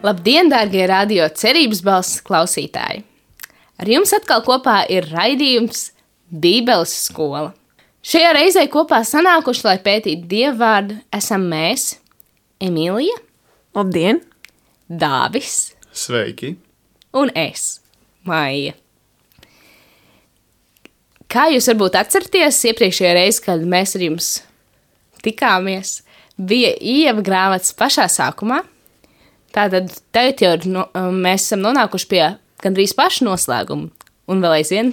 Labdien, dārgie radio cerības balss klausītāji! Ar jums atkal kopā ir raidījums Bībeles skola. Šajā reizē kopā sanākuši, lai pētītu Dieva vārdu, esam mēs, Emīlija, Labdien! Dāvis Sveiki! un es, Maija. Kā jūs varbūt atceraties, iepriekšējā reize, kad mēs ar jums tikāmies, bija Ieva grāmatas pašā sākumā. Tātad tagad jau mēs esam nonākuši pie gandrīz paša noslēguma, un vēl aizvien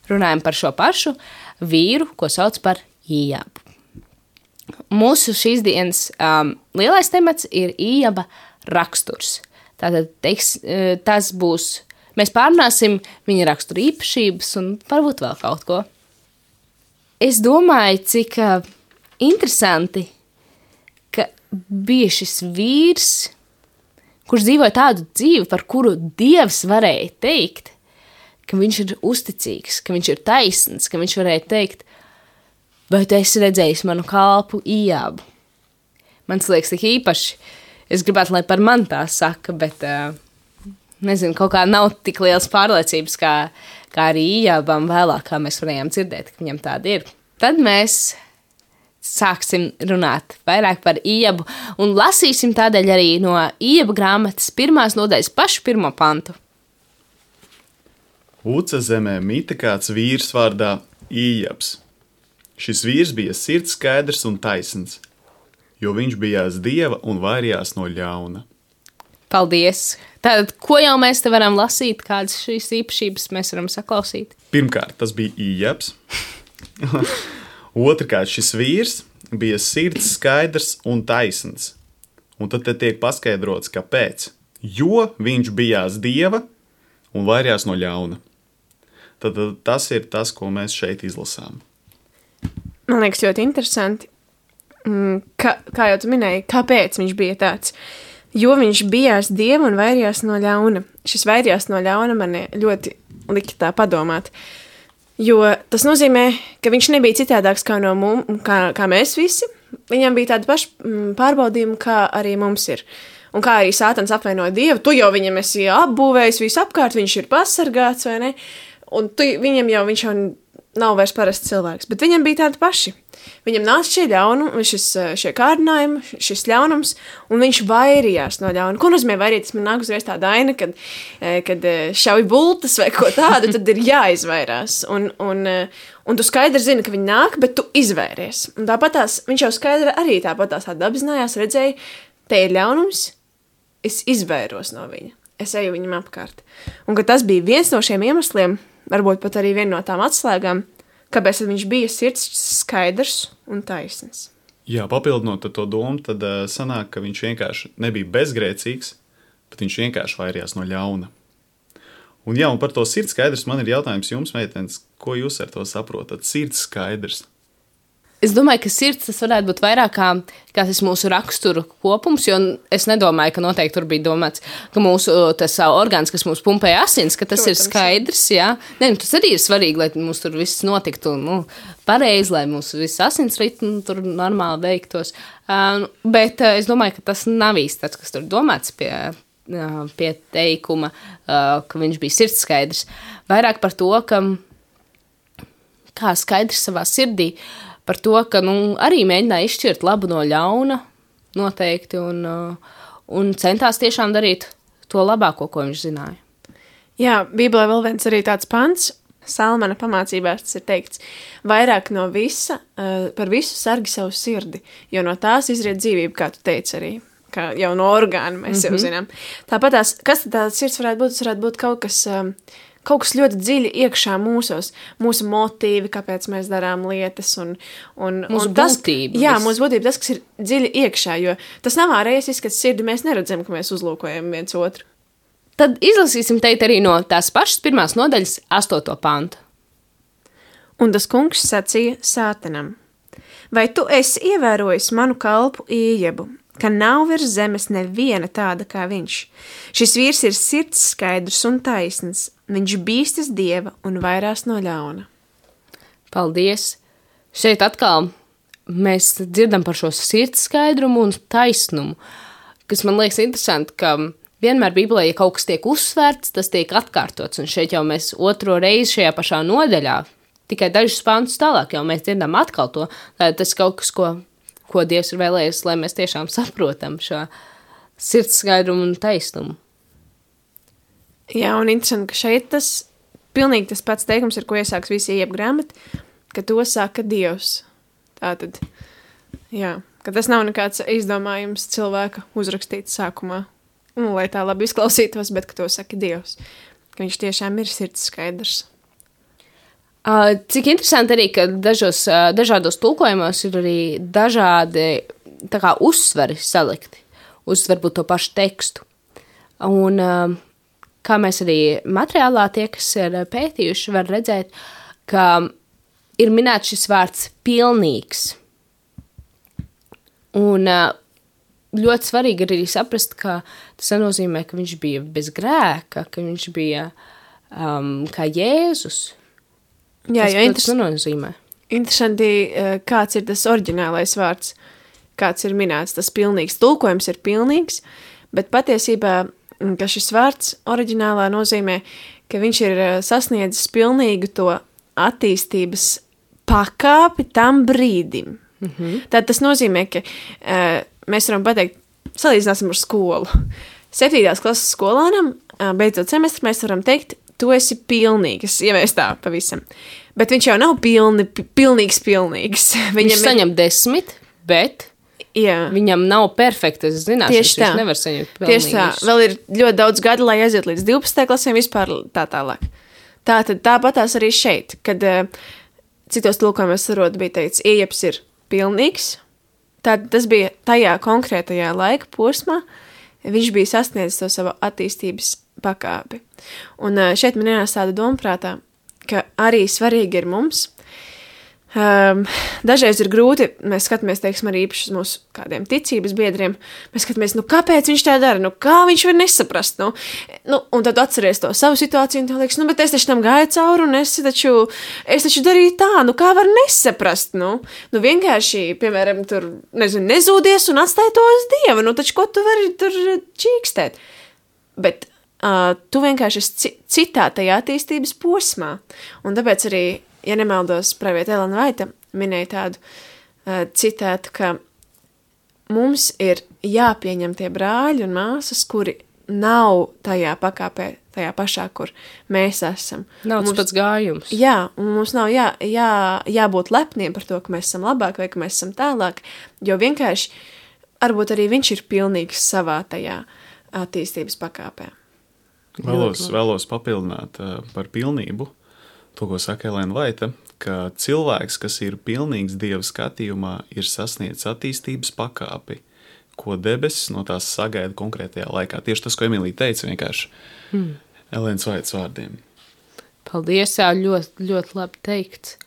runājam par šo pašu vīru, ko sauc par Iebu. Mūsu šīs dienas lielais temats ir Ieba raksturs. Tātad tas būs, mēs pārunāsim viņa rakstura īpašības un varbūt vēl kaut ko. Es domāju, cik interesanti, ka bija šis vīrs, kurš dzīvoja tādu dzīvi, par kuru Dievs varēja teikt, ka viņš ir uzticīgs, ka viņš ir taisns, ka viņš varēja teikt, vai tu esi redzējis manu kalpu Iebu? Man liekas, tik īpaši. Es gribētu, lai par mani tā saka, bet nezinu, kaut kā nav tik liels pārliecības, kā arī Iebam vēlāk, kā mēs varējām dzirdēt, ka viņam tāda ir. Tad mēs sāksim runāt vairāk par Iebu un lasīsim tādēļ arī no Ieba grāmatas 1. nodaļas pašu 1. pantu. Uca zemē mita kāds vīrs vārdā Ijabs. Šis vīrs bija sirds skaidrs un taisns, jo viņš bijās Dieva un vairījās no ļauna. Paldies! Tātad, ko jau mēs te varam lasīt, kādas šīs īpašības mēs varam saklausīt? Pirmkārt, tas bija Ijabs. Otrkārt, šis vīrs bija sirds skaidrs un taisns. Un tad te tiek paskaidrots, kāpēc. Jo viņš bijās Dieva un vairījās no ļauna. Tad tas ir tas, ko mēs šeit izlasām. Man liekas ļoti interesanti, kā jau tu minēji, kāpēc viņš bija tāds. Jo viņš bijās Dieva un vairījās no ļauna. Šis vairījās no ļauna man ļoti lika tā padomāt. Jo tas nozīmē, ka viņš nebija citādāks kā mēs visi. Viņam bija tāda paša pārbaudījuma, kā arī mums ir. Un kā arī Sātans apvainoja Dievu, tu jau viņam esi apbūvējis visu apkārt, viņš ir pasargāts, vai ne? Un viņš jau nav vairs parasts cilvēks, bet viņam bija tādi paši. Viņam nāca šie kārdinājumi, šis ļaunums, un viņš vairījās no ļauna. Ko nozīmē vairīties? Man nāk uzreiz tāda aina, kad šauj bultas vai ko tādu, tad ir jāizvairās. Un tu skaidri zini, ka viņi nāk, bet tu izvairies. Un tāpatās, viņš jau skaidri arī tāpatās apzinājās, redzēja, te ir ļaunums, es izvairos no viņa. Es eju viņam apkārt. Un ka tas bija viens no šiem iemesliem, varbūt pat arī viena no tām atslēgām, kāpēc viņš bija sirds skaidrs un taisns. Jā, papildinot to domu, tad sanāk, ka viņš vienkārši nebija bezgrēcīgs, bet viņš vienkārši vairījās no ļauna. Un par to sirds skaidrs man ir jautājums jums, meitenes, ko jūs ar to saprotat? Sirds skaidrs. Es domāju, ka sirds tas varētu būt vairāk kā tas mūsu raksturu kopums, jo es nedomāju, ka noteikti tur bija domāts, ka mūsu tas orgāns, kas mums pumpēja asins, ka tas Protams, ir skaidrs, jā. Nē, tas arī ir svarīgi, lai mums tur viss notiktu pareizi, lai mūsu viss asins ritmi tur normāli veiktos. Bet es domāju, ka tas nav īsti tāds, kas tur domāts pie teikuma, ka viņš bija sirds skaidrs. Vairāk par to, ka kā skaidrs savā sirdī, par to, ka arī mēģināja izšķirt labu no ļauna noteikti un centās tiešām darīt to labāko, ko viņš zināja. Jā, Bībelē vēl viens arī tāds pants, Salmana pamācībās tas ir teikts, vairāk no visa, par visu sargi savu sirdi, jo no tās izriet dzīvība, kā tu teici arī, kā jau no orgāna mēs jau zinām. Tāpatās, kas tad tāds sirds varētu būt? Tas varētu būt kaut kas ļoti dziļi iekšā mūsos, mūsu motīvi, kāpēc mēs darām lietas. Mūsu būtība. Jā, mūsu būtība, tas, kas ir dziļi iekšā, jo tas nav ārējais izskats sirdi, mēs neredzam, ka mēs uzlūkojam viens otru. Tad izlasīsim teikt arī no tās pašas 1. nodaļas 8. pantu. Un tas kungs sacīja Sātanam, vai tu esi ievērojis manu kalpu Iebu, ka nav virs zemes neviena tāda kā viņš. Šis vīrs ir sirds skaidrs un taisns, viņš bīstas Dieva un vairās no ļauna. Paldies! Šeit atkal mēs dzirdam par šo sirds skaidrumu un taisnumu, kas man liekas interesanti, ka vienmēr Bībelē, ja kaut kas tiek uzsvērts, tas tiek atkārtots. Un šeit jau mēs otro reizi šajā pašā nodaļā, tikai dažus pāntus tālāk, jau mēs dzirdam atkal to. Tas kaut kas, ko Dievs ir vēlējies, lai mēs tiešām saprotam šo sirds skaidrumu un taisnumu. Jā, un interesanti, ka šeit pilnīgi tas pats teikums, ar ko iesāks visi Ieba grāmata, ka to saka Dievs. Tātad, jā, ka tas nav nekāds izdomājums cilvēka uzrakstīts sākumā, lai tā labi izklausītos, bet ka to saka Dievs, ka viņš tiešām ir sirds skaidrs. Cik interesanti arī, ka dažādos tulkojumos ir arī dažādi tā kā uzsveri salikti uz varbūt to pašu tekstu. Un kā mēs arī materiālā tie, kas ir pētījuši, var redzēt, ka ir minēts šis vārds pilnīgs. Un ļoti svarīgi ir arī saprast, ka tas nenozīmē, ka viņš bija bez grēka, ka viņš bija kā Jēzus. Jā, Tas nenozīmē. Interesanti, kāds ir tas oriģinālais vārds, kāds ir minēts, tas pilnīgs. Tulkojums ir pilnīgs, bet patiesībā, ka šis vārds oriģinālā nozīmē, ka viņš ir sasniedzis pilnīgu to attīstības pakāpi tam brīdim. Tad tas nozīmē, ka mēs varam pateikt, salīdzināsim ar skolu. 7. klases skolānam, beidzot semestri, mēs varam teikt, tu esi pilnīgs, ja mēs tā pavisam. Bet viņš jau nav pilnīgs. Viņš saņem 10, bet viņam nav perfektas zināšanas, viņš nevar saņemt pilnīgus. Tieši tā, vēl ir ļoti daudz gadu, lai aiziet līdz 12. klasēm vispār tā tālāk. Tāpatās arī šeit, kad citos tulkojumos bija teikts, Iebs ir pilnīgs, tad tas bija tajā konkrētajā laika posmā, viņš bija sasniedzis to savu attīstības pakāpi. Un šeit man ienāca tāda doma prātā, ka arī svarīgi ir mums. Dažreiz ir grūti, mēs skatāmies, teiksim, arī īpaši uz mūsu kādiem ticības biedriem, mēs skatāmies, kāpēc viņš tā dara, kā viņš var nesaprast, un tad atceries to savu situāciju, un tev liekas, bet es taču tam gāju cauri, un es taču darīju tā, kā var nesaprast, vienkārši, piemēram, tur, nezūdies un atstāj to uz Dievu, taču ko tu vari tur čīkstēt? Bet tu vienkārši esi citā tajā attīstības posmā, un tāpēc arī, ja nemaldos, pravieta Elena Vaita minēja tādu citātu, ka mums ir jāpieņem tie brāļi un māsas, kuri nav tajā pakāpē, tajā pašā, kur mēs esam. Nav tas pats gājums. Jā, un mums nav jābūt lepniem par to, ka mēs esam labāk vai ka mēs esam tālāk, jo vienkārši varbūt arī viņš ir pilnīgs savā tajā attīstības pakāpē. Vēlos papildināt par pilnību. To, ko saka Elena Vaita, ka cilvēks, kas ir pilnīgs Dieva skatījumā, ir sasniedzis attīstības pakāpi, ko debesis no tās sagaida konkrētajā laikā. Tieši tas, ko Emīlija teica, vienkārši Elenas Vaitas vārdiem. Paldies, ļoti, ļoti labi teikts.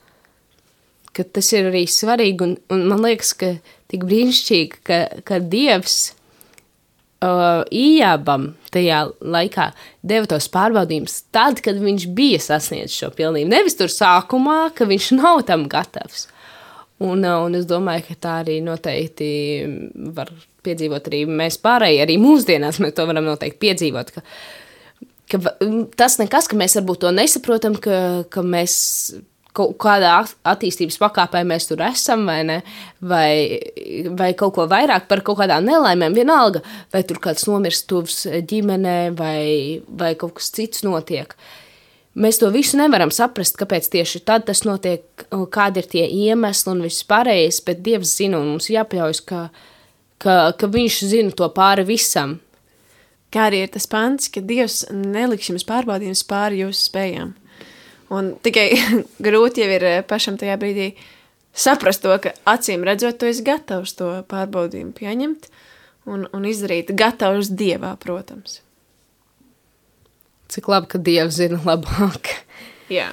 Ka tas ir arī svarīgi, un man liekas, ka tik brīnišķīgi, ka Dievs Ijabam tajā laikā deva tos pārbaudījumus tad, kad viņš bija sasniedzis šo pilnību. Nevis tur sākumā, ka viņš nav tam gatavs. Un es domāju, ka tā arī noteikti var piedzīvot arī mēs pārējie, arī mūsdienās mēs to varam noteikti piedzīvot, ka tas nekas, ka mēs varbūt to nesaprotam, ka mēs kaut kādā attīstības pakāpē mēs tur esam, vai ne, vai kaut ko vairāk par kaut kādām nelaimēm, vienalga, vai tur kāds nomirst tuvs ģimenē, vai kaut kas cits notiek. Mēs to visu nevaram saprast, kāpēc tieši tad tas notiek, kādi ir tie iemesli un viss pārējais, bet Dievs zina, un mums jāpaļaujas, ka viņš zina to pāri visam. Kā arī ir tas pants, ka Dievs neliks jums pārbaudījums pāri jūsu spējām. Un tikai grūti jau ir pašam tajā brīdī saprast to, ka acīm redzot, tu esi gatavs to pārbaudījumu pieņemt un izdarīt gatavs Dievā, protams. Cik labi, ka Dievs zina labāk. Jā.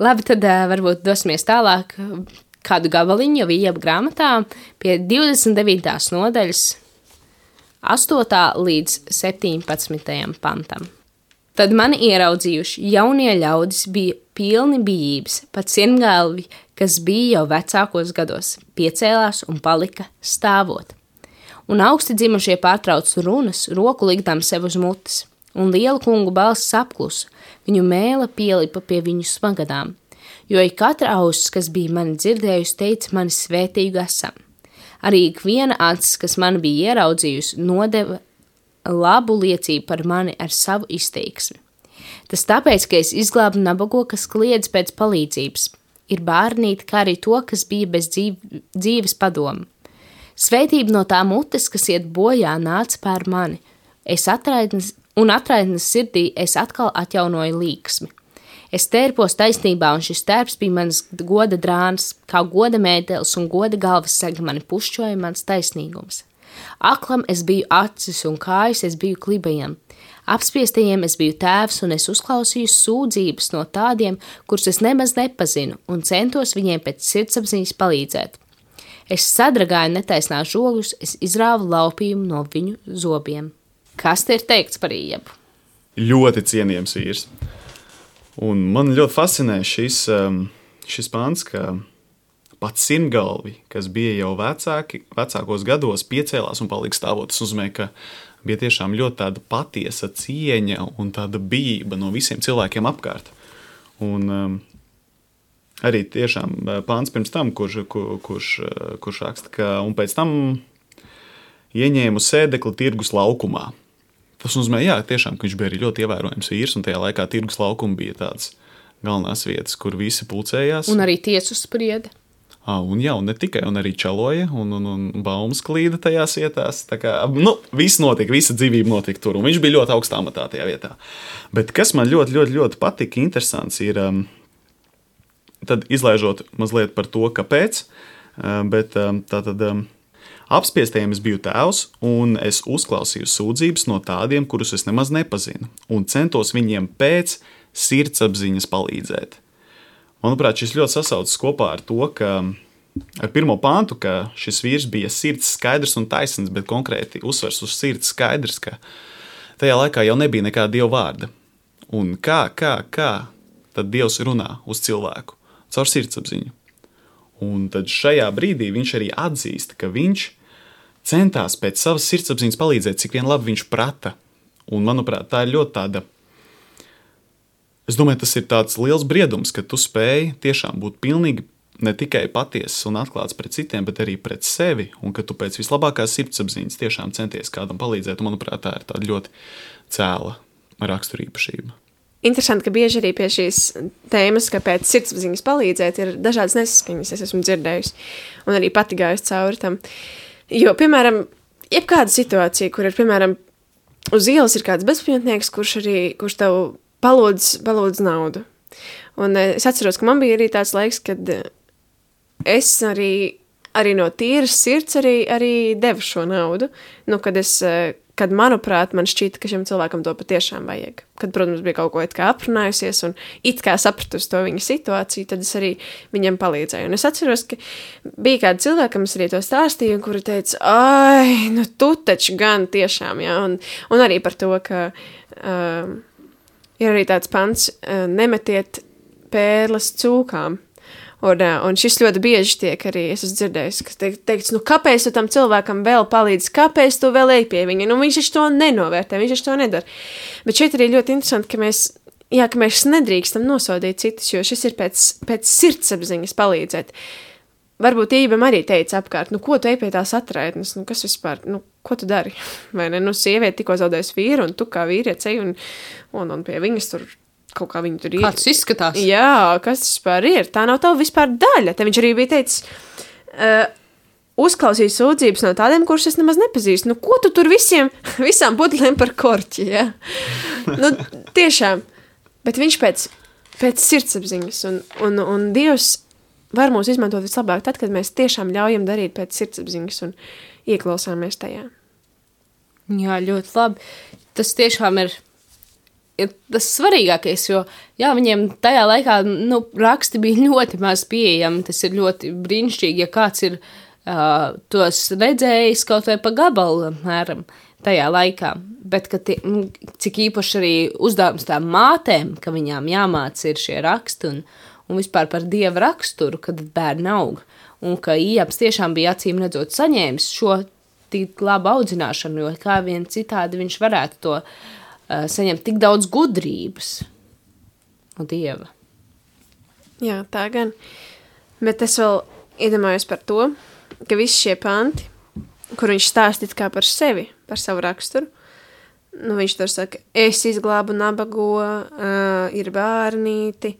Labi, tad varbūt dosimies tālāk kādu gabaliņu jau Ieba grāmatā pie 29. nodaļas 8. līdz 17. pantam. Tad mani ieraudzījuši jaunie ļaudis bija pilni bijības, pat siengalvi, kas bija jau vecākos gados, piecēlās un palika stāvot. Un augsti dzimušie pārtrauc runas, roku likdām sev uz mutes, un liela kungu balss apklusa, viņu mēle pielipa pie viņu smagadām, jo ik katra auss, kas bija mani dzirdējusi, teica mani svētīgu esam. Arī ik viena acis, kas mani bija ieraudzījusi, nodeva labu liecību par mani ar savu izteiksmi. Tas tāpēc, ka es izglābu nabago, kas kliedz pēc palīdzības, ir bērnīti, kā arī to, kas bija bez dzīves padomu. Svētība no tā mutes, kas iet bojā, nāca pār mani. Atraidnes sirdī es atkal atjaunoju līksmi. Es tērpos taisnībā, un šis tērps bija mans goda drāns, kā goda mētelis un goda galvas sega mani pušķoja mans taisnīgums. Aklam es biju acis un kājas es biju klibajam. Apspiestajiem es biju tēvs, un es uzklausīju sūdzības no tādiem, kurus es nemaz nepazinu, un centos viņiem pēc sirdsapziņas palīdzēt. Es sadragāju netaisnās žogus, es izrāvu laupījumu no viņu zobiem. Kas te ir teikts par Iebu? Ļoti cienījams vīrs. Un man ļoti fascinē šis pants, ka pats simtgalvi, kas bija jau vecākos gados, piecēlās un palika stāvot. Tas nozīmē, ka bija tiešām ļoti tāda patiesa cieņa un tāda bijība no visiem cilvēkiem apkārt. Un arī tiešām pāns pirms tam, kurš raksta, ka un pēc tam ieņēmu sēdekli tirgus laukumā. Tas nozīmē, jā, tiešām, ka viņš bija arī ļoti ievērojams vīrs, un tajā laikā tirgus laukuma bija tāds galvenās vietas, kur visi pulcējās. Un arī tiesu sprieda. Un jā, un ne tikai, un arī čaloja, un baumas klīda tajās vietās. Tā kā, viss notika, visa dzīvība notika tur, un viņš bija ļoti augstā amatā tajā vietā. Bet kas man ļoti patika, interesants ir, tad izlaižot mazliet par to, kāpēc, bet tātad apspiestajiem es biju tēvs, un es uzklausīju sūdzības no tādiem, kurus es nemaz nepazinu, un centos viņiem pēc sirdsapziņas palīdzēt. Manuprāt, šis ļoti sasaucas kopā ar to, ka ar pirmo pāntu, ka šis vīrs bija sirds skaidrs un taisns, bet konkrēti uzsvers uz sirds skaidrs, ka tajā laikā jau nebija nekā Dieva vārda. Un kā tad Dievs runā uz cilvēku? Caur sirdsapziņu. Un tad šajā brīdī viņš arī atzīst, ka viņš centās pēc savas sirdsapziņas palīdzēt, cik vien labi viņš prata. Un, manuprāt, tā ir ļoti tāda, es domāju, tas ir tāds liels briedums, ka tu spēji tiešām būt pilnīgi ne tikai patiesas un atklāts pret citiem, bet arī pret sevi, un ka tu pēc vislabākās sirdsapziņas tiešām centies kādam palīdzēt. Un, manuprāt, tā ir tāda ļoti cēla raksturīpašība. Interesanti, ka bieži arī pie šīs tēmas, ka pēc sirdsapziņas palīdzēt, ir dažādas nesaskaņas, es esmu dzirdējusi, un arī pati gājusi cauri tam. Jo, piemēram, jebkāda situācija, kur ir, piemēram, uz ielas ir kāds bezpajumtnieks, kurš tev palūdz naudu. Un es atceros, ka man bija arī tāds laiks, kad es arī no tīras sirds arī devu šo naudu, kad, manuprāt, man šķita, ka šim cilvēkam to patiešām vajag. Kad, protams, bija kaut ko it kā aprunājusies un it kā sapratusi to viņa situāciju, tad es arī viņam palīdzēju. Un es atceros, ka bija kādi cilvēki, kam es arī to stāstīju, kuri teica, tu taču gan tiešām, jā. Un arī par to, ka ir arī tāds pants, nemetiet pērles cūkām. Un šis ļoti bieži tiek arī, es esmu dzirdējis, ka teikts, kāpēc tu tam cilvēkam vēl palīdzi, kāpēc tu vēl ej pie viņa, viņš taču to nenovērtē, viņš taču to nedara. Bet šeit arī ļoti interesanti, ka mēs nedrīkstam nosodīt citus, jo šis ir pēc sirdsapziņas palīdzēt. Varbūt Ībam arī teica apkārt, ko tu ej pie tās atraitnes, kas vispār, ko tu dari? Vai ne, sieviete tikko zaudējusi vīru, un tu kā vīrietis ej un pie viņas tur kaut kā viņi tur ir. Kāds izskatās? Jā, kas tas vispār ir? Tā nav tava vispār daļa. Te viņš arī bija teicis, uzklausīja sūdzības no tādiem, kurus es nemaz nepazīstu. Ko tu tur visām pudelēm par korķi, ja? Tiešām. Bet viņš pēc sirdsapziņas. Un Dievs var mūs izmantot vislabāk tad, kad mēs tiešām ļaujam darīt pēc sirdsapziņas un ieklausāmies tajā. Jā, ļoti labi. Tas tiešām ir tas svarīgākais, jo viņiem tajā laikā raksti bija ļoti maz pieejami. Tas ir ļoti brīnišķīgi, ja kāds ir tos redzējis kaut vai pa gabalu mēram tajā laikā. Bet cik īpaši arī uzdevums tām mātēm, ka viņām jāmāca ir šie raksti un vispār par Dieva raksturu, kad bērni aug. Un ka Ijabs tiešām bija acīm redzot saņēmis šo tik labu audzināšanu, jo kā vien citādi viņš varētu to saņemt tik daudz gudrības no Dieva. Jā, tā gan. Bet es vēl iedomājos par to, ka visi šie panti, kur viņš stāstīt kā par sevi, par savu raksturu, viņš tur saka, es izglābu nabago, ir bērnīti,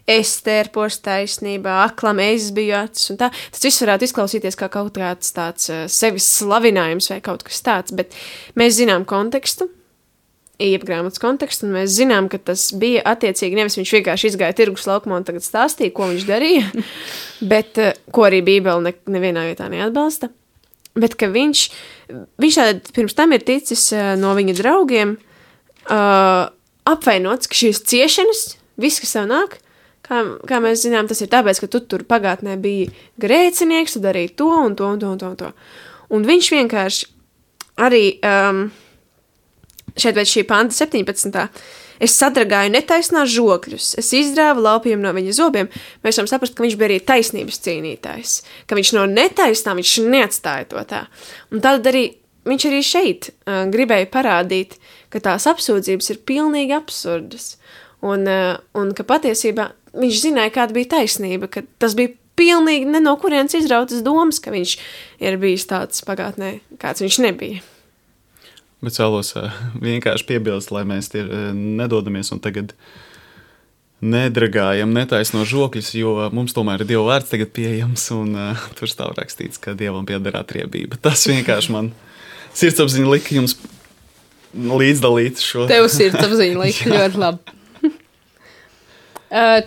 es tērpos taisnībā, aklam es biju acis un tā. Tas viss varētu izklausīties kā kaut kāds tāds sevis slavinājums vai kaut kas tāds, bet mēs zinām kontekstu, grāmatas kontekstu, un mēs zinām, ka tas bija attiecīgi, nevis viņš vienkārši izgāja tirgus laukumā un tagad stāstīja, ko viņš darīja, bet ko arī Bībele nevienā vietā neatbalsta. Bet ka viņš tātad pirms tam ir ticis no viņa draugiem apvainots, ka šīs ciešanas, viss, kas tev nāk, kā mēs zinām, tas ir tāpēc, ka tu tur pagātnē biji grēcinieks, tu darīji to un to un to un to un to. Un viņš vienkārši arī šeit pēc šī panta 17. Es sadragāju netaisnās žokļus, es izrāvu laupījumu no viņa zobiem. Mēs varam saprast, ka viņš bija arī taisnības cīnītājs, ka viņš no netaisnām, viņš neatstāja to tā. Un tad arī viņš arī šeit gribēja parādīt, ka tās apsūdzības ir pilnīgi absurdas. Un ka patiesībā viņš zināja, kāda bija taisnība, ka tas bija pilnīgi ne no kurienes izrautas domas, ka viņš ir bijis tāds pagātnē, kāds viņš nebija. Bet vēlos vienkārši piebilst, lai mēs nedodamies un tagad nedragājam netaisno žokļus, jo mums tomēr ir Dieva vārds tagad pieejams, un tur stāv rakstīts, ka Dievam pieder atriebība. Tas vienkārši man sirdsapziņa lika jums līdzdalīt šo. Tev sirdsapziņa lika ļoti labi.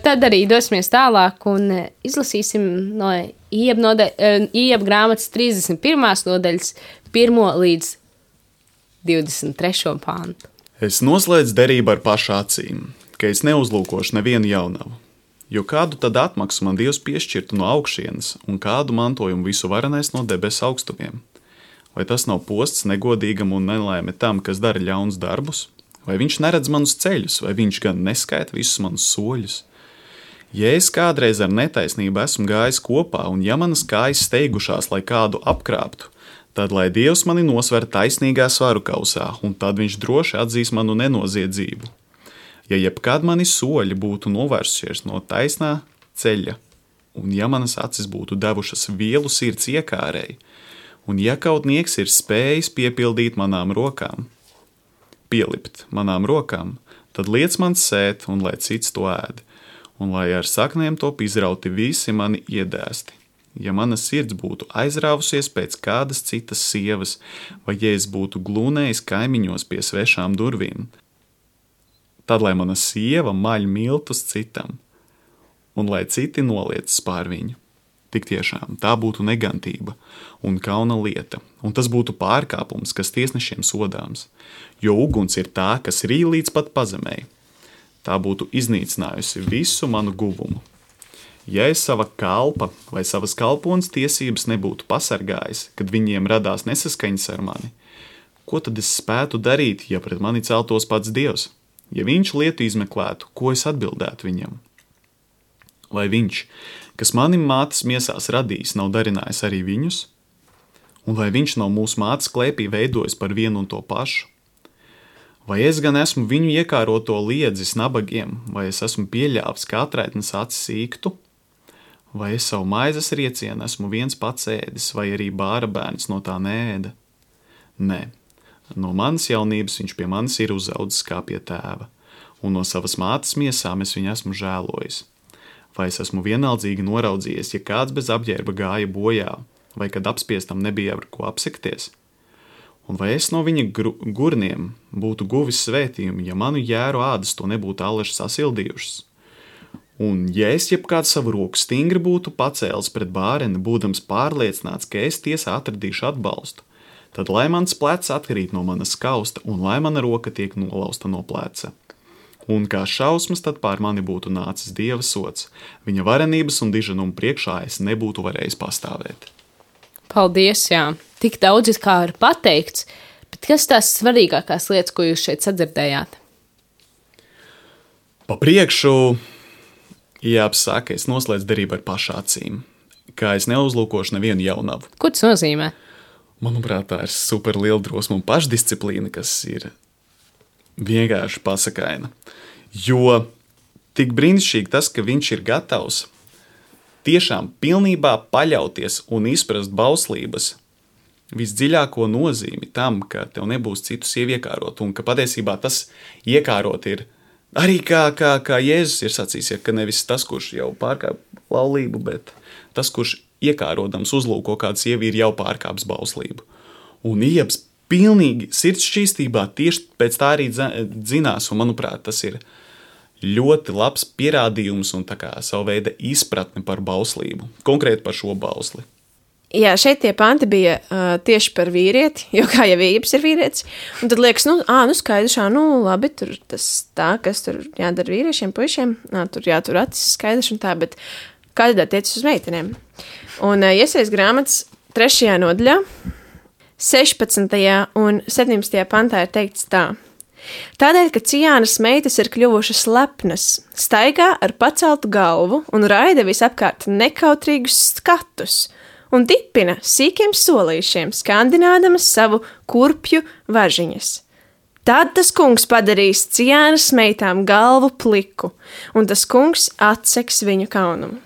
Tad arī dosimies tālāk un izlasīsim no Ieba grāmatas 31. nodaļas 1. līdz 23. pāntu. Es noslēdzu derību ar pašu acīm, ka es neuzlūkošu nevienu jaunavu, jo kādu tad atmaksu man Dievs piešķirtu no augšienes un kādu mantojumu visu varenais no debesu augstumiem? Vai tas nav posts negodīgam un nelaime tam, kas dara ļaunus darbus? Vai viņš neredz manus ceļus, vai viņš gan neskaita visus manus soļus? Ja es kādreiz ar netaisnību esmu gājis kopā, un ja manas kājas steigušās, lai kādu apkrāptu, tad lai Dievs mani nosver taisnīgā svaru kausā, un tad viņš droši atzīs manu nenoziedzību. Ja jebkad mani soļi būtu novērsušies no taisnā ceļa, un ja manas acis būtu devušas vielu sirds iekārēji, un ja kaut nieks ir spējis pielikt manām rokām, tad liec man sēt, un lai cits to ēd, un lai ar saknēm top izrauti visi mani iedēsti. Ja mana sirds būtu aizrāvusies pēc kādas citas sievas, vai ja es būtu glūnējis kaimiņos pie svešām durvīm, tad lai mana sieva maļ miltus citam, un lai citi noliecas pār viņu. Tik tiešām tā būtu negantība un kauna lieta, un tas būtu pārkāpums, kas tiesnešiem sodāms, jo uguns ir tā, kas rī līdz pat pazemēji. Tā būtu iznīcinājusi visu manu guvumu. Ja es sava kalpa vai savas kalpones tiesības nebūtu pasargājis, kad viņiem radās nesaskaņas ar mani, ko tad es spētu darīt, ja pret mani celtos pats Dievs? Ja viņš lietu izmeklētu, ko es atbildētu viņam? Vai viņš, kas mani mātes miesās radījis, nav darinājis arī viņus? Un vai viņš nav mūsu mātes klēpī veidojis par vienu un to pašu? Vai es gan esmu viņu iekāroto liedzis nabagiem, vai es esmu pieļāvis kā atraitnes acis īktu? Vai es savu maizes riecienu esmu viens pats ēdis, vai arī bāra bērns no tā neēda? Nē, no manas jaunības viņš pie manis ir uzaudzis kā pie tēva, un no savas mātes miesām es viņu esmu žēlojis. Vai es esmu vienaldzīgi noraudzījies, ja kāds bez apģērba gāja bojā, vai kad apspiestam nebija ar ko apsekties? Un vai es no viņa gurniem būtu guvis svētījumu, ja manu jēru ādas to nebūtu allaži sasildījušas? Un ja es jebkādu savu roku stingri būtu pacēlis pret bāreni, būdams pārliecināts, ka es tiesā atradīšu atbalstu, tad lai mans plecs atkarīt no manas kausta un lai mana roka tiek nolausta no pleca. Un kā šausmas tad pār mani būtu nācis Dieva sods, viņa varenības un diženuma priekšā es nebūtu varējis pastāvēt. Paldies, jā. Tik daudz kā ir pateikts, bet kas tās svarīgākās lietas, ko jūs šeit sadzirdējāt? Pa priekšu jāapsaka, es noslēdzu derību ar pašu acīm, kā es neuzlūkošu nevienu jaunavu. Ko tas nozīmē? Manuprāt, tā ir super liela drosme un pašdisciplīna, kas ir vienkārši pasakaina. Jo tik brīnišķīgi tas, ka viņš ir gatavs tiešām pilnībā paļauties un izprast bauslības visdziļāko nozīmi tam, ka tev nebūs citu sievu iekārot, un ka patiesībā tas iekārot ir arī kā Jēzus ir sacījis, ka nevis tas, kurš jau pārkāp laulību, bet tas, kurš iekārodams uzlūko kādu sievi, ir jau pārkāps bauslību. Un ieps pilnīgi sirds šķīstībā tieši pēc tā arī dzinās, un manuprāt, tas ir ļoti labs pierādījums un tā kā savu veidu izpratne par bauslību, konkrēti par šo bausli. Jā, šeit tie panti bija tieši par vīrieti, jo kā jau Ieps ir vīrietis, un tad liekas, skaidrs, labi, tur tas tā, kas tur jādara vīriešiem, puišiem, tur jātur acis skaidrs un tā, bet kā tad attiecas uz meitenēm? Un Iesajas grāmatas 3. nodaļā, 16. un 17. pantā ir teikts tā. Tādēļ, ka Ciānas meitas ir kļuvušas lepnas, staigā ar paceltu galvu un raida visapkārt nekautrīgus skatus un dipina sīkiem solīšiem, skandinādamas savu kurpju važiņas. Tad tas kungs padarīs Ciānas meitām galvu pliku, un tas kungs atseks viņu kaunumu.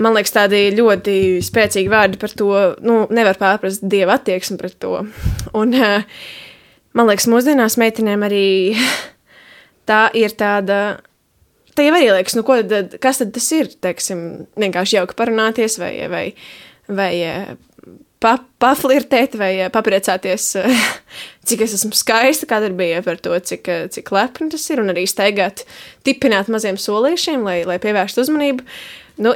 Man liekas, tādi ļoti spēcīgi vārdi par to, nevar pārprast Dieva attieksmi pret to. Un man liekas, mūsdienās meitenēm arī tā ir tāda, tā jau arī liekas, kas tad tas ir, teiksim, vienkārši jauki parunāties vai paflirtēt vai papriecāties, cik es esmu skaista, kā tad bija par to, cik lepni tas ir, un arī staigāt, tipināt maziem solīšiem, lai pievērstu uzmanību.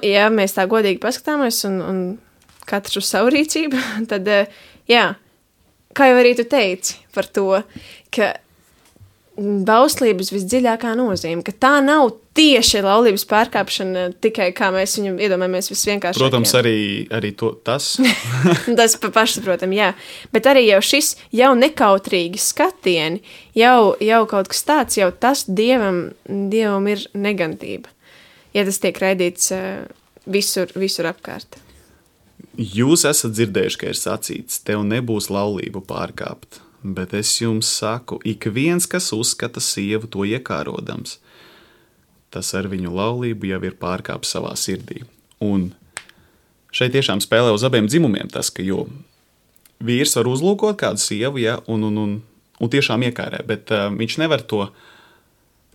Ja mēs tā godīgi paskatāmies un katrs uz savu rīcību, tad, kā jau arī tu teici par to, ka bauslības visdziļākā nozīme, ka tā nav tieši laulības pārkāpšana tikai, kā mēs viņu iedomājamies visvienkāršākajā. Protams, arī tas. Tas pašsaprotam, jā. Bet arī jau šis jau nekautrīgi skatieni, jau kaut kas tāds, jau tas Dievam ir negantība. Ja tas tiek raidīts visur apkārt. Jūs esat dzirdējuši, ka ir sacīts, tev nebūs laulību pārkāpt, bet es jums saku, ik viens, kas uzskata sievu to iekārodams, tas ar viņu laulību jau ir pārkāpis savā sirdī. Un šeit tiešām spēlē uz abiem dzimumiem tas, ka jo vīrs var uzlūkot kādu sievu, un tiešām iekārē, bet viņš nevar to.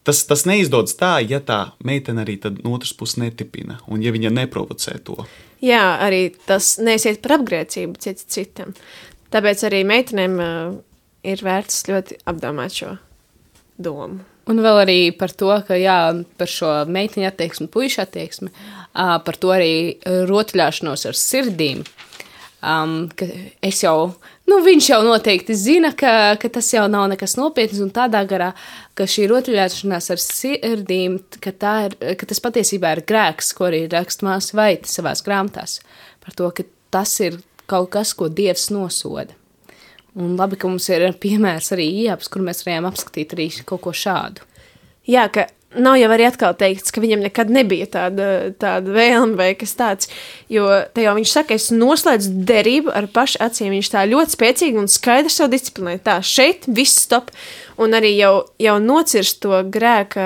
Tas neizdodas tā, ja tā meitene arī tad no otras puses netipina, un ja viņa neprovocē to. Jā, arī tas neiesiet par apgrēcību citam. Tāpēc arī meitenēm ir vērts ļoti apdomāt šo domu. Un vēl arī par to, ka par šo meiteņu attieksmi, puišu attieksmi, par to arī rotaļāšanos ar sirdīm. Ka es jau, viņš jau noteikti zina, ka tas jau nav nekas nopietns, un tādā garā, ka šī rotaļāšanās ar sirdīm, ka tas patiesībā ir grēks, ko arī raksta māsa Vaita savās grāmatās, par to, ka tas ir kaut kas, ko Dievs nosoda. Un labi, ka mums ir piemērs arī Ieps, kur mēs varējām apskatīt arī kaut ko šādu. Jā, ka nav jau arī atkal teikts, ka viņam nekad nebija tāda vēlme vai kas tāds, jo te jau viņš saka, es noslēdzu derību ar pašu acīm, viņš tā ļoti spēcīgi un skaidri savu disciplināju. Tā, šeit viss stop, un arī jau nocirst to grēka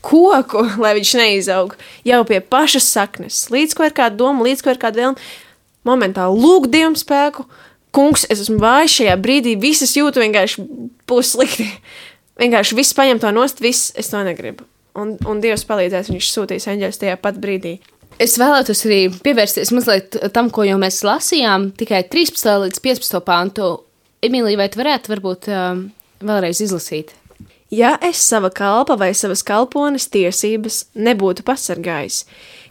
koku, lai viņš neizaug, jau pie pašas saknes, līdz ko ir kāda doma, līdz ko ir kāda vēlme, momentāli lūgt Dievam spēku, kungs, es esmu vājš šajā brīdī, visas jūtu vienkārši būs slikti. Vienkārši viss paņem to nost, viss, es to negribu. Un Dievs palīdzēs, viņš sūtīs eņģeļus tajā pat brīdī. Es vēlētos arī pievērsties mazliet tam, ko jau mēs lasījām, tikai 13. līdz 15. pantu. Emīlija, vai tu varētu varbūt vēlreiz izlasīt? Ja es sava kalpa vai savas kalpones tiesības nebūtu pasargājis,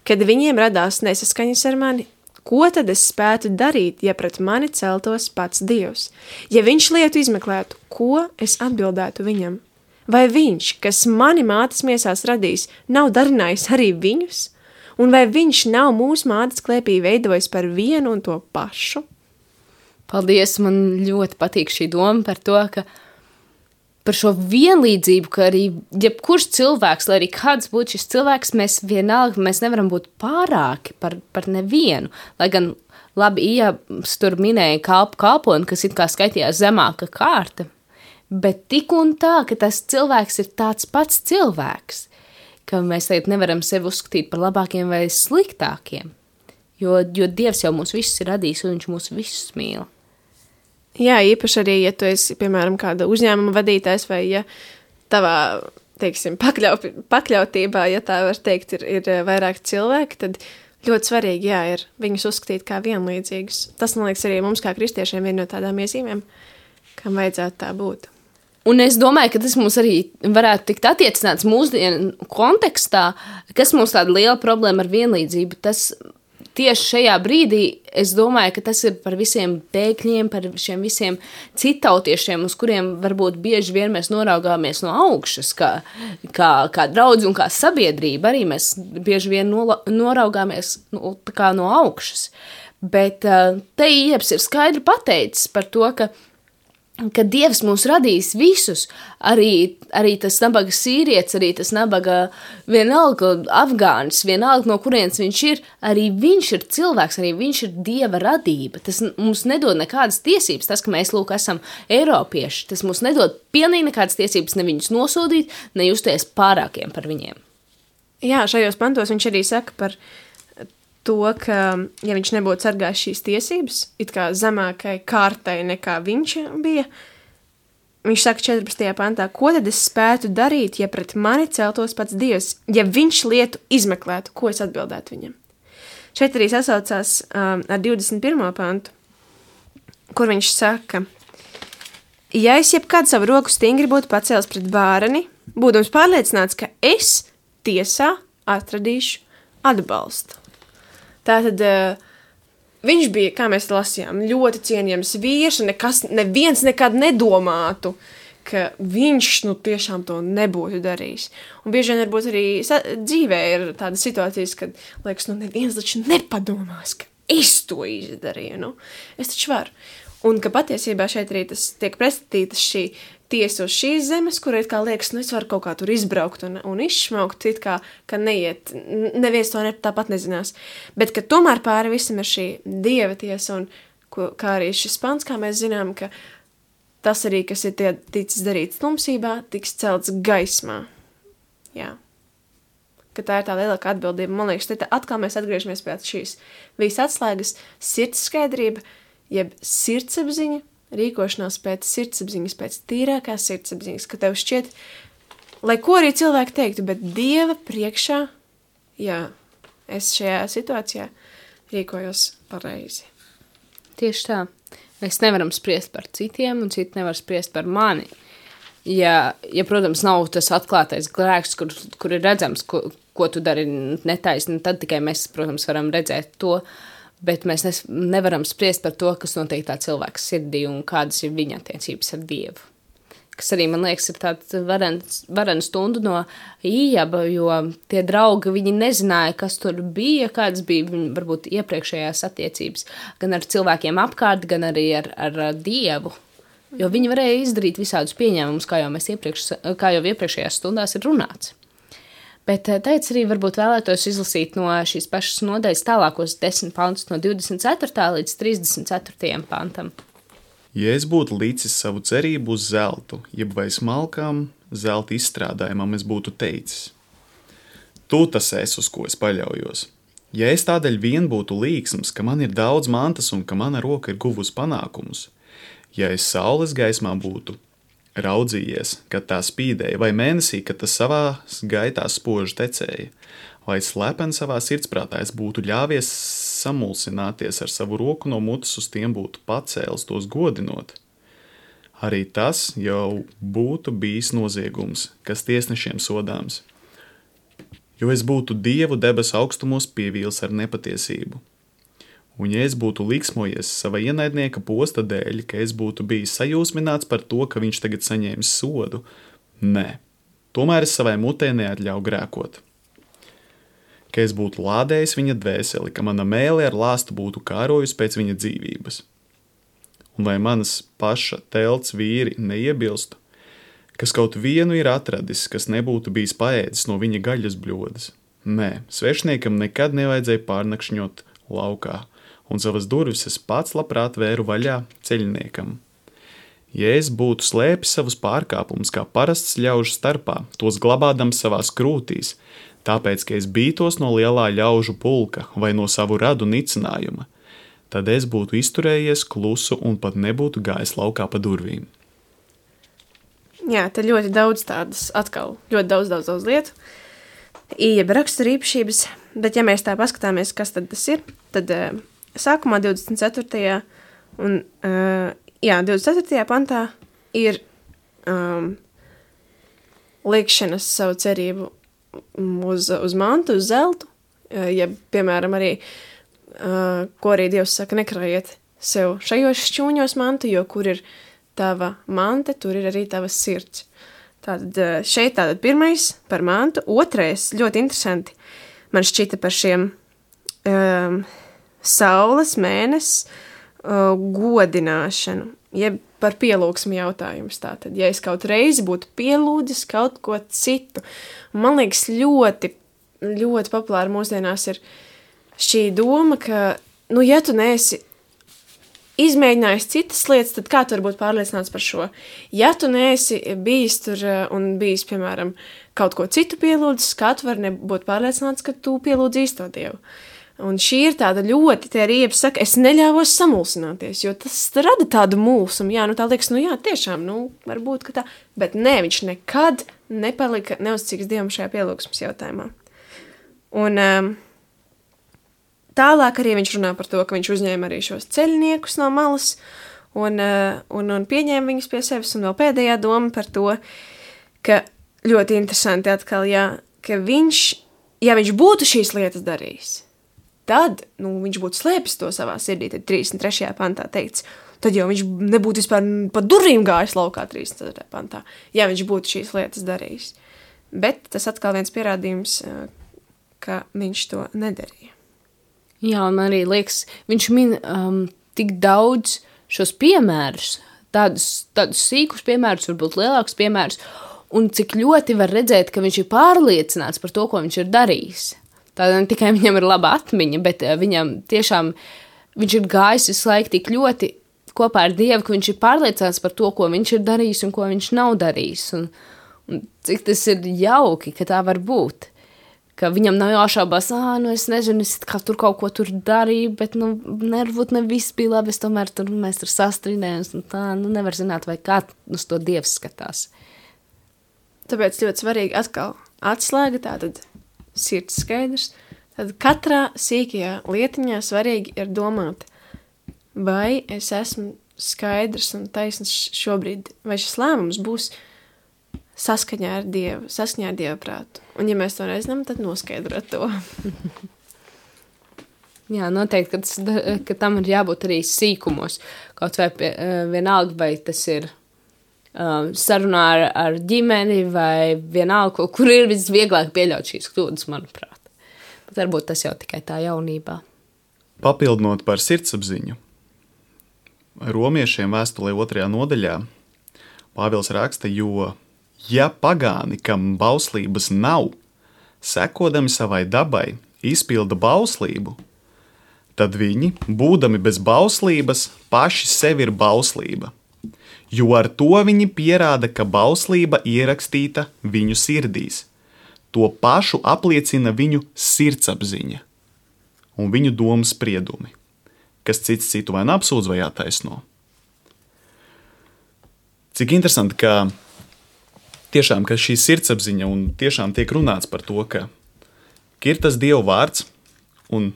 kad viņiem radās nesaskaņas ar mani, ko tad es spētu darīt, ja pret mani celtos pats Dievs? Ja viņš lietu izmeklētu, ko es atbildētu viņam? Vai viņš, kas mani mātes miesās radījis, nav darinājis arī viņus? Un vai viņš nav mūsu mātes klēpī veidojis par vienu un to pašu? Paldies, man ļoti patīk šī doma par to, ka par šo vienlīdzību, ka arī jebkurš cilvēks, lai arī kāds būtu šis cilvēks, mēs nevaram būt pārāki par nevienu. Lai gan labi, Ijabs tur minēja kalponi, kas it kā skaitījās zemāka kārta, bet tik un tā, ka tas cilvēks ir tāds pats cilvēks, ka mēs tagad nevaram sevi uzskatīt par labākiem vai sliktākiem, jo Dievs jau mūs visus ir radījis un viņš mūs visus mīl. Jā, īpaši arī, ja tu esi, piemēram, kāda uzņēmuma vadītājs vai ja tavā, teiksim, pakļautībā, ja tā var teikt, ir vairāk cilvēki, tad ļoti svarīgi, jā, ir viņus uzskatīt kā vienlīdzīgus. Tas, man liekas, arī mums kā kristiešiem viena no tādām iezīmēm, kam vajadzētu tā būt. Un es domāju, ka tas mums arī varētu tikt attiecināts mūsdienu kontekstā, kas mums tāda liela problēma ar vienlīdzību. Tas tieši šajā brīdī es domāju, ka tas ir par visiem bēgļiem, par šiem visiem citautiešiem, uz kuriem varbūt bieži vien mēs noraugāmies no augšas, kā draudzi un kā sabiedrība. Arī mēs bieži vien noraugāmies no augšas. Bet te Ijabs ir skaidri pateicis par to, ka Dievs mūs radīs visus, arī tas nabaga sīrietis, arī tas nabaga vienalga afgānis, vienalga no kurienes viņš ir, arī viņš ir cilvēks, arī viņš ir Dieva radība. Tas mums nedod nekādas tiesības, tas, ka mēs, esam eiropieši, tas mums nedod pilnīgi nekādas tiesības ne viņus nosodīt, ne justies pārākiem par viņiem. Jā, šajos pantos viņš arī saka par to, ka, ja viņš nebūtu sargājis šīs tiesības, it kā zemākai kārtai nekā viņš bija, viņš saka 14. pantā, ko tad es spētu darīt, ja pret mani celtos pats Dievs, ja viņš lietu izmeklētu, ko es atbildētu viņam. Šeit arī sasaucās ar 21. pantu, kur viņš saka, ja es jebkad savu roku stingri būtu pacēlis pret bāreni, būdams pārliecināts, ka es tiesā atradīšu atbalstu. Tātad viņš bija, kā mēs lasījām, ļoti cienījams vīrs, un neviens nekad nedomātu, ka viņš tiešām to nebūtu darījis. Un bieži vien varbūt arī dzīvē ir tādas situācijas, kad liekas, neviens taču nepadomās, ka es to izdarīju. Es taču varu. Un ka patiesībā šeit arī tas tiek pretstatītas šī tiesa uz šīs zemes, kur it kā liekas, es varu kaut kā tur izbraukt un izšmaukt, it kā, ka neiet, neviens to tāpat nezinās. Bet, ka tomēr pāri visam ir šī Dieva tiesa, un kā arī šis pants, kā mēs zinām, ka tas arī, kas ir ticis darīts tumsībā, tiks celts gaismā. Jā. Ka tā ir tā lielākā atbildība. Man liekas, te atkal mēs atgriežamies pēc šīs visas atslēgas sirds skaidrība, jeb sirdsapziņa, rīkošanās pēc sirdsapziņas, pēc tīrākās sirdsapziņas, ka tev šķiet, lai ko arī cilvēki teiktu, bet Dieva priekšā, jā, es šajā situācijā rīkojos pareizi. Tieši tā. Mēs nevaram spriest par citiem, un citi nevar spriest par mani. Ja protams, nav tas atklātais grēks, kur ir redzams, ko tu dari netaisni, tad tikai mēs, protams, varam redzēt to, bet mēs nevaram spriest par to, kas notiek tā cilvēka sirdī un kādas ir viņa attiecības ar Dievu. Kas arī, man liekas, ir tāds varena stunda no Ijaba, jo tie draugi, viņi nezināja, kas tur bija, kādas bija viņa varbūt iepriekšējās attiecības, gan ar cilvēkiem apkārt, gan arī ar Dievu. Jo viņi varēja izdarīt visādus pieņēmumus, kā jau iepriekšējās stundās ir runāts. Bet tagad arī varbūt vēlētos izlasīt no šīs pašas nodaļas tālākos 10 pantus no 24. līdz 34. pantam. Ja es būtu licis savu cerību uz zeltu, jeb vai smalkām zelta izstrādājumam, es būtu teicis. Tu tas esi, uz ko es paļaujos. Ja es tādēļ vien būtu līksms, ka man ir daudz mantas un ka mana roka ir guvusi panākumus, ja es saules gaismā būtu raudzījies, kad tā spīdēja, vai mēnesī, kad tas savā gaitā spoži tecēja, vai slepeni savā sirdsprātā es būtu ļāvies samulsināties ar savu roku no mutes uz tiem būtu pacēlis tos godinot. Arī tas jau būtu bijis noziegums, kas tiesnešiem sodāms, jo es būtu Dievu debesu augstumos pievīlis ar nepatiesību. Un ja es būtu liksmojies sava ienaidnieka posta dēļ, ka es būtu bijis sajūsmināts par to, ka viņš tagad saņēmis sodu, nē, tomēr es savai mutē neatļauju grēkot. Ka es būtu lādējis viņa dvēseli, ka mana mēle ar lāstu būtu kārojusi pēc viņa dzīvības. Un vai manas paša telts vīri neiebilstu, kas kaut vienu ir atradis, kas nebūtu bijis paēdis no viņa gaļas bļodas? Nē, svešniekam nekad nevajadzēja pārnakšņot laukā, un savas durvis es pats labprāt vēru vaļā ceļniekam. Ja es būtu slēpis savus pārkāpumus kā parasts ļaužu starpā, tos glabādams savās krūtīs, tāpēc, ka es bītos no lielā ļaužu pulka vai no savu radu nicinājuma, tad es būtu izturējies klusu un pat nebūtu gājis laukā pa durvīm. Jā, te ļoti daudz tādas atkal, ļoti daudz lietu. Jeb rakstura īpašības, bet ja mēs tā paskatāmies, kas tad tas ir, tad sākumā 24. un 24. pantā ir liekšanas savu cerību uz mantu, uz zeltu, ja, piemēram, arī, ko arī Dievs saka, nekrājiet sev šajos šķūņos mantu, jo kur ir tava mante, tur ir arī tava sirds. Tātad šeit tātad pirmais par mantu, otrais ļoti interesanti man šķita par šiem saules, mēnesis, godināšanu, jeb par pielūgsmu jautājumus tātad. Ja es kaut reizi būtu pielūdzis kaut ko citu, un man liekas ļoti, ļoti populāri mūsdienās ir šī doma, ka, nu, ja tu neesi izmēģinājis citas lietas, tad kā tu vari būt pārliecināts par šo? Ja tu neesi bijis tur un bijis, piemēram, kaut ko citu pielūdzis, kā tu vari būt pārliecināts, ka tu pielūdzi īsto Dievu? Un šī ir tāda ļoti, te arī saka, es neļāvos samulsināties, jo tas rada tādu mulsumu, jā, nu tā liekas, nu jā, tiešām, nu, varbūt, ka tā, bet nē, viņš nekad nepalika neuzticīgs Dievam šajā pielūgsmes jautājumā. Un tālāk arī viņš runā par to, ka viņš uzņēma arī šos ceļniekus no malas un pieņēma viņus pie sevis, un vēl pēdējā doma par to, ka ļoti interesanti atkal, jā, ka viņš, ja viņš būtu šīs lietas darījis, tad, nu, viņš būtu slēpis to savā sirdī, tad 33. pantā teikts, tad jau viņš nebūtu vispār pa durvīm gājis laukā 34. pantā, ja viņš būtu šīs lietas darījis. Bet tas atkal viens pierādījums, ka viņš to nedarīja. Jā, un arī liekas, viņš min tik daudz šos piemērus, tādus sīkus piemērus, varbūt lielākus piemērus, un cik ļoti var redzēt, ka viņš ir pārliecināts par to, ko viņš ir darījis. Tāda ne tikai viņam ir laba atmiņa, bet viņam tiešām, viņš ir gājis visu laiku tik ļoti kopā ar Dievu, ka viņš ir pārliecināts par to, ko viņš ir darījis un ko viņš nav darījis. Un cik tas ir jauki, ka tā var būt. Ka viņam nav jāšaubās, nu es nezinu, es kā tur kaut ko tur darīju, bet, nu, varbūt ne viss bija labi, es tomēr tur, mēs tur sastrīdējums, un tā, nu, nevar zināt, vai kā uz to Dievs skatās. Tāpēc ļoti svarīgi atkal atslēga tātad sirds skaidrs, tad katrā sīkajā lietiņā svarīgi ir domāt, vai es esmu skaidrs un taisns šobrīd, vai šis lēmums būs saskaņā ar Dieva prātu. Un ja mēs to nezinām, tad noskaidrot to. Jā, noteikti, ka tam ir jābūt arī sīkumos. Kaut vai vienalga, vai tas ir sarunā ar ģimeni vai vienalga, kur ir visvieglāk pieļaut šīs kļūdas, manuprāt. Bet varbūt tas jau tikai tā jaunībā. Papildinot par sirdsapziņu, romiešiem vēstulē 2. nodaļā Pāvils raksta, jo, ja pagāni, kam bauslības nav, sekodami savai dabai, izpilda bauslību, tad viņi, būdami bez bauslības, paši sevi ir bauslība. Jo ar to viņi pierāda, ka bauslība ierakstīta viņu sirdīs. To pašu apliecina viņu sirdsapziņa un viņu domu spriedumi, kas cits citu vai apsūdz vai attaisno. Cik interesanti, ka tiešām, ka šī sirdsapziņa un tiešām tiek runāts par to, ka ir tas Dieva vārds, un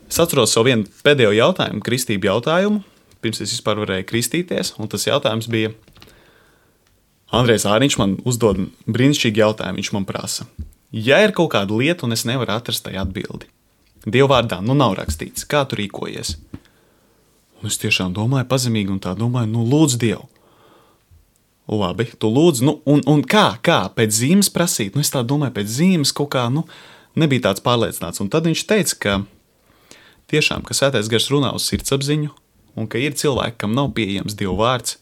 es atceros savu vienu pēdējo jautājumu, kristību jautājumu, pirms es vispār varēju kristīties, un tas jautājums bija, Andrejs Āriņš man uzdod brīnišķīgi jautājumu, viņš man prasa, ja ir kaut kāda lieta, un es nevaru atrast tai atbildi, Dieva vārdā, nu nav rakstīts, kā tu rīkojies? Un es tiešām domāju pazemīgi, un tā domāju, nu lūdzu Dievu. Labi, tu lūdzu, nu, un kā, pēc zīmes prasīt? Nu, es tā domāju, pēc zīmes kaut kā, nu, nebija tāds pārliecināts, un tad viņš teica, ka tiešām, ka Svētais Gars runā uz sirdsapziņu, un ka ir cilvēki, kam nav pieejams Dieva vārds,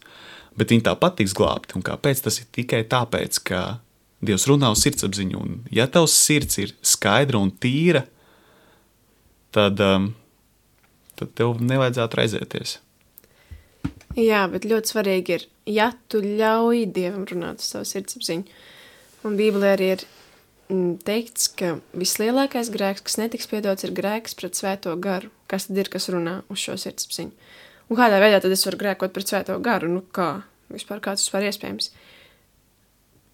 bet viņi tāpat tiks glābti. Un kāpēc? Tas ir tikai tāpēc, ka Dievs runā uz sirdsapziņu, un ja tavs sirds ir skaidra un tīra, tad tad tev nevajadzētu raizēties. Jā, bet ļoti svarīgi ir, ja tu ļauj Dievam runāt uz savu sirdsapziņu. Un Bībelē arī ir teikts, ka vislielākais grēks, kas netiks piedots, ir grēks pret svēto garu. Kas tad ir, kas runā uz šo sirdsapziņu? Un kādā veidā tad es varu grēkot pret svēto garu? Nu kā? Vispār kāds vispār iespējams?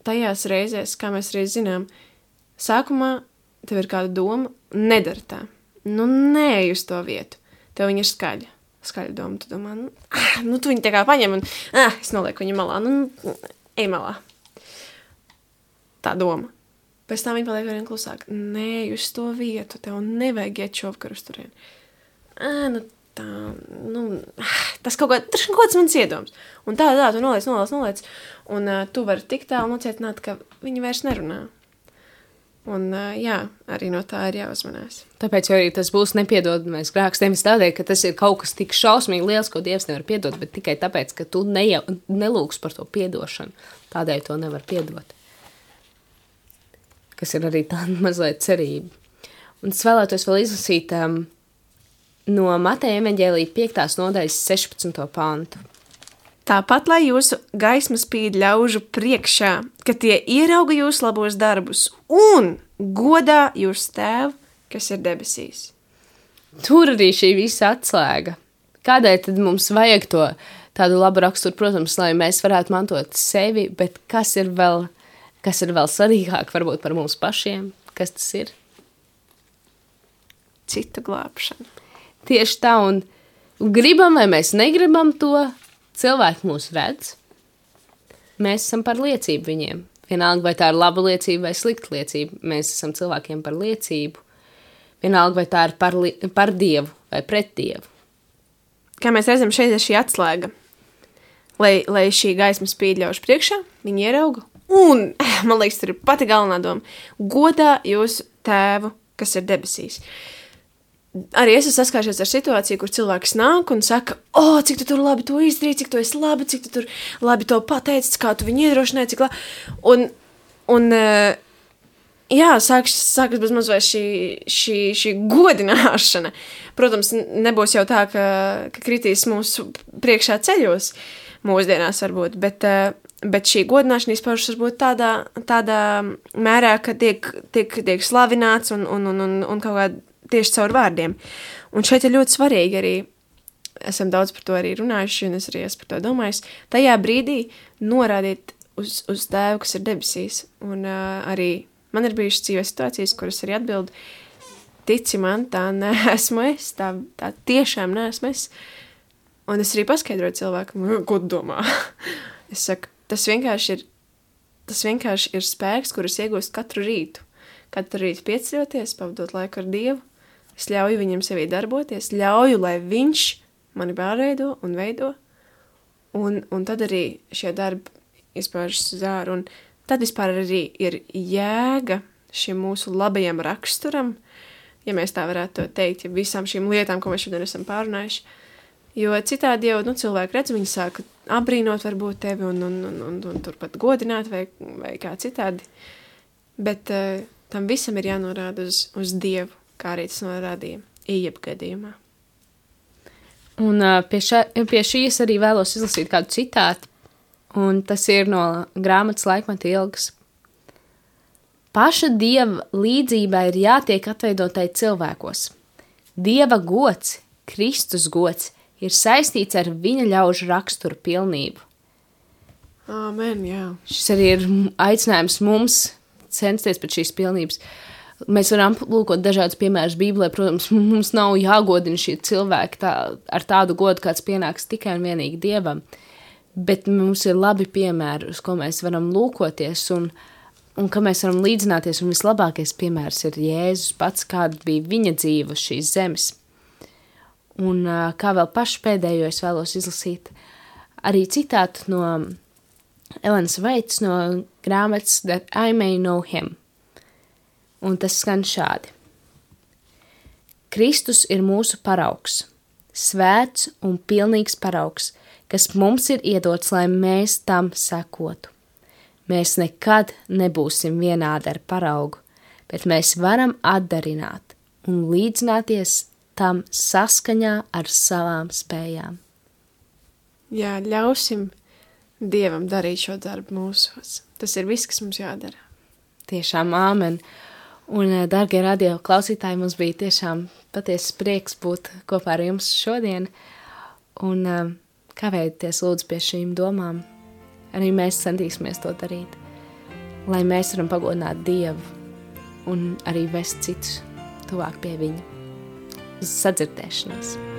Tajās reizēs, kā mēs arī zinām, sākumā tev ir kāda doma, nedara tā. Nu, neej uz to vietu. Tev viņa ir skaļa doma. Tu domā, tu viņu tā kā paņem un, es nolieku viņu malā. Ej malā. Tā doma. Pēc tam viņa paliek vien klusāk. Neej uz to vietu. Tev nevajag iet šovakar uz turieni. Tas kaut kāds mans iedoms. Un tā, tu noliec. Un tu vari tik tālu nocietināt, ka viņi vairs nerunā. Un arī no tā ir jāuzmanās. Tāpēc arī tas būs nepiedodamais grēks. Nevis tādēļ, ka tas ir kaut kas tik šausmīgi liels, ko Dievs nevar piedot, bet tikai tāpēc, ka tu nelūgs par to piedošanu. Tādēļ to nevar piedot. Kas ir arī tāda mazliet cerība. Un es vēlētos vēl izlasīt no Mateja evaņģēlija 5. nodaļas 16. pantu. Tāpat, lai jūsu gaisma spīd ļaužu priekšā, ka tie ierauga jūsu labos darbus un godā jūsu tēvu, kas ir debesīs. Tur arī šī visa atslēga. Kādēļ tad mums vajag to tādu labu raksturu? Protams, lai mēs varētu mantot sevi, bet kas ir vēl svarīgāk varbūt par mums pašiem? Kas tas ir? Citu glābšana. Tieši tā, un gribam vai mēs negribam to, cilvēki mūs redz, mēs esam par liecību viņiem. Vienalga, vai tā ir laba liecība vai slikta liecība, mēs esam cilvēkiem par liecību. Vienalga, vai tā ir par Dievu vai pret Dievu. Kā mēs redzam, šeit ir šī atslēga. Lai šī gaisma spīd ļaužu priekšā, viņi ierauga. Un, man liekas, tur ir pati galvenā doma. Godā jūsu tēvu, kas ir debesīs. Arī es esmu saskāršies ar situāciju, kur cilvēks nāk un saka, cik tu tur labi to izdarīji, cik tu esi labi, cik tu tur labi to pateicis, kā tu viņu iedrošināji, cik labi. Sākas bez maz vai šī godināšana. Protams, nebūs jau tā, ka kritīs mūsu priekšā ceļos mūsdienās varbūt, bet šī godināšana izpaužas varbūt tādā mērā, ka tiek slavināts un kaut kā tieši caur vārdiem. Un šeit ir ļoti svarīgi arī, esam daudz par to arī runājuši, un es arī esmu par to domājis, tajā brīdī norādīt uz tēvu, kas ir debesīs. Un arī man ir bijušas dzīvē situācijas, kuras arī atbildu, tici man, tā neesmu es, tā tiešām neesmu es. Un es arī paskaidroju cilvēkam, ko tu domā. Es saku, tas vienkārši ir spēks, kurus iegūst katru rītu. Katru rītu pieceļoties, pavadot laiku ar Dievu. Es ļauju viņam sevī darboties, ļauju, lai viņš mani pārveido un veido. Un tad arī šie darbi izpaužas uz āru. Un tad vispār arī ir jēga šim mūsu labajam raksturam, ja mēs tā varētu to teikt, ja visām šīm lietām, ko mēs šodien esam pārunājuši. Jo citādi jau cilvēki redz, viņi sāka apbrīnot varbūt tevi un turpat godināt vai kā citādi. Bet tam visam ir jānorāda uz Dievu, kā arī tas norādīja Ījaba gadījumā. Un pie šīs arī vēlos izlasīt kādu citātu, un tas ir no grāmatas Laikmeta ilgas. Paša Dieva līdzībā ir jātiek atveidotai cilvēkos. Dieva gods, Kristus gods, ir saistīts ar viņa ļaužu raksturu pilnību. Amen, jā. Šis arī ir aicinājums mums censties pēc šīs pilnības. Mēs varam lūkot dažādus piemērus Bībelē, protams, mums nav jāgodina šie cilvēki ar tādu godu, kāds pienāks tikai un vienīgi Dievam, bet mums ir labi piemēri, uz ko mēs varam lūkoties un ka mēs varam līdzināties, un vislabākais piemērs ir Jēzus pats, kāda bija viņa dzīve uz šīs zemes. Un kā vēl pašu pēdējo es vēlos izlasīt arī citātu no Elenas Vaits no grāmatas That I May Know Him. Un tas skan šādi. Kristus ir mūsu paraugs, svēts un pilnīgs paraugs, kas mums ir iedots, lai mēs tam sekotu. Mēs nekad nebūsim vienādi ar paraugu, bet mēs varam atdarināt un līdzināties tam saskaņā ar savām spējām. Jā, ļausim Dievam darīt šo darbu mūsos. Tas ir viss, kas mums jādara. Tiešām āmen. Un, dargie radio klausītāji, mums bija tiešām patiesas prieks būt kopā ar jums šodien. Un kavējieties lūdzu pie šīm domām. Arī mēs centīsimies to darīt, lai mēs varam pagodināt Dievu un arī vest citus tuvāk pie viņa. Uz sadzirdēšanos!